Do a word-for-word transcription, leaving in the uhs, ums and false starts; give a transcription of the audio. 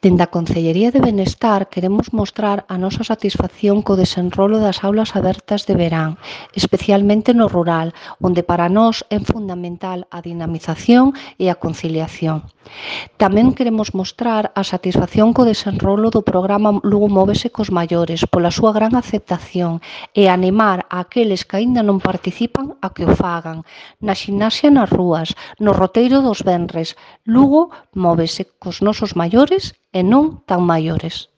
Dende a Concellería de Benestar queremos mostrar a nosa satisfacción co desenrolo das aulas abertas de verán, especialmente no rural, onde para nós é fundamental a dinamización e a conciliación. Tamén queremos mostrar a satisfacción co desenrolo do programa Lugo Móvese cos maiores pola súa gran aceptación e animar a aqueles que aínda non participan a que o fagan. Na ximnasia nas rúas, no roteiro dos venres, Lugo móvese cos nosos maiores e non tan maiores.